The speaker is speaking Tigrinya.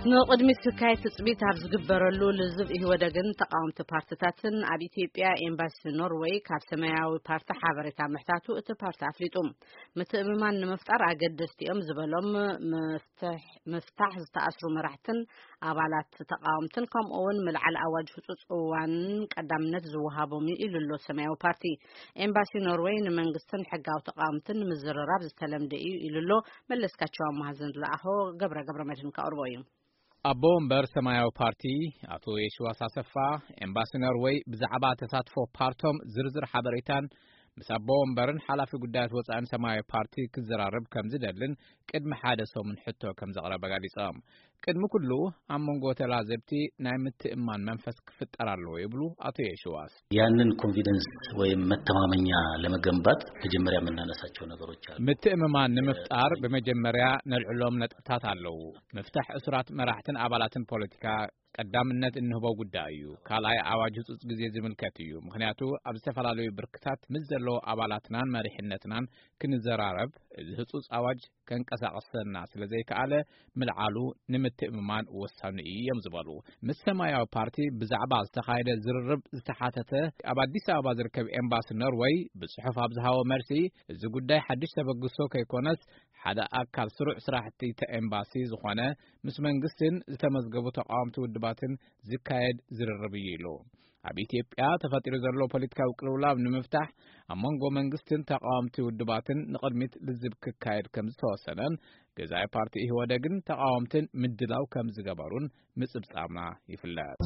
ንቕድሚት ዝካየድ ትጽቢት ኣብ ዝግበረሉ፣ ልዝብ ኢህወደግን ተቓወምቲ ፓርትታትን ኣብ ኢትዮጵያ ኤምባሲ ኖርወይ ካብ ሰማያዊ ፓርቲ ሓበሬታ ምሕታቱ እቲ ፓርቲ ኣፍሊጡ። ምትእምማን ንምፍጣር ኣገደስቲ እዮም ዝበሎም መፍትሕ-፣ ምፍታሕ ዝተኣስሩ መራሕትን ኣባላት ተቓወምትን፣ ከምኡ እውን ምልዓል ኣዋጅ ህጹጽ እዋን ቀዳምነት ዝወሃቦም እዩ ኢሉ ኣሎ ሰማያዊ ፓርቲ። ኤምባሲ ኖርወይ ንመንግስትን ሕጋዊ ተቓወምትን ንምዝርራብ ዝተለምደ እዩ ኢሉ ኣሎ። መለስካቸው ኣማሃ ዝለኣኾ ገብረ ገብረ መድህን ከቕርቦ እዩ። ኣቦ ወንበር ሰማያዊ ፓርቲ ኣቶ የሽዋስ ኣሰፋ፣ ኤምባሲ ኖርወይ ብዛዕባ ተሳትፎ ፓርቶም ዝርዝር ሓበሬታን ምስ ኣቦ ወንበርን ሓላፊ ጉዳያት ወጻእን ሰማያዊ ፓርቲ ክዘራረብ ከም ዝደልን ቅድሚ ሓደ ሰሙን ሕቶ ከም ዘቕረበ ገሊጾም። ቅድሚ ኩሉ ኣብ መንጎ ተላዘብቲ ናይ ምትእምማን መንፈስ ክፍጠር ኣለዎ ይብሉ ኣቶ የሽዋስ። ያንን ኮንፊደንስ ወይም መተማመኛ ለመገንባት መጀመሪያ የምናነሳቸው ነገሮች አሉ። ምትእምማን ንምፍጣር ብመጀመሪያ ነልዕሎም ነጥብታት ኣለዉ። ምፍታሕ እሱራት መራሕትን ኣባላትን ፖለቲካ ቀዳምነት እንህቦ ጉዳይ እዩ። ካልኣይ ኣዋጅ ህጹጽ ግዜ ዝምልከት እዩ። ምኽንያቱ ኣብ ዝተፈላለዩ ብርክታት ምስ ዘለዉ ኣባላትናን መሪሕነትናን ክንዘራረብ፣ እዚ ህጹጽ ኣዋጅ ከንቀሳቕሰና ስለ ዘይከኣለ ምልዓሉ ንምትእምማን ወሳኒ እዩ እዮም ዝበሉ። ምስ ሰማያዊ ፓርቲ ብዛዕባ ዝተኻየደ ዝርርብ ዝተሓተተ ኣብ ኣዲስ ኣበባ ዝርከብ ኤምባሲ ኖርወይ ብጽሑፍ ኣብ ዝሃቦ መልሲ፣ እዚ ጉዳይ ሓድሽ ተበግሶ ከይኮነስ ሓደ ኣካል ስሩዕ ስራሕቲ እቲ ኤምባሲ ዝኾነ ምስ መንግስትን ዝተመዝገቡ ተቃወምቲ ውድባትን ዝካየድ ዝርርብ እዩ ኢሉ። ኣብ ኢትዮጵያ ተፈጢሩ ዘሎ ፖለቲካዊ ቅልውላው ንምፍታሕ ኣብ መንጎ መንግስትን ተቃወምቲ ውድባትን ንቕድሚት ልዝብ ክካየድ ከም ዝተወሰነን ገዛኢ ፓርቲ ኢህወደግን ተቃወምትን ምድላው ከም ዝገበሩን ምጽብጻብና ይፍለጥ።